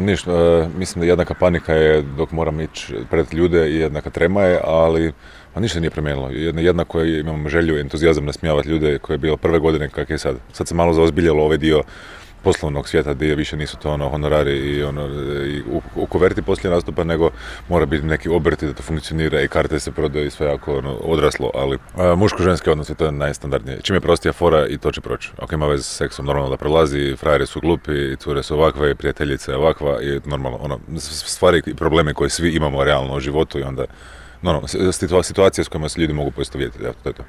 Ništa, mislim da jednaka panika je dok moram ići pred ljude i jednaka trema je, ali ništa nije promijenilo. Jednako imam želju i entuzijazam nasmijavati ljude koje je bilo prve godine kak je sad. Sad se malo zaozbiljalo ovaj dio poslovnog svijeta gdje više nisu to honorari i u kuverti poslije nastupa, nego mora biti neki obrti da to funkcionira i karte se prodaju i sve jako odraslo, ali muško-ženski odnos je to najstandardnije. Čim je prostija fora i to će proći. Ako ima veze s seksom, normalno da prolazi, frajeri su glupi, cure su ovakve, prijateljica je ovakva i normalno, stvari i probleme koje svi imamo realno u životu i onda situacije s kojima se ljudi mogu poistovjetiti, to je to.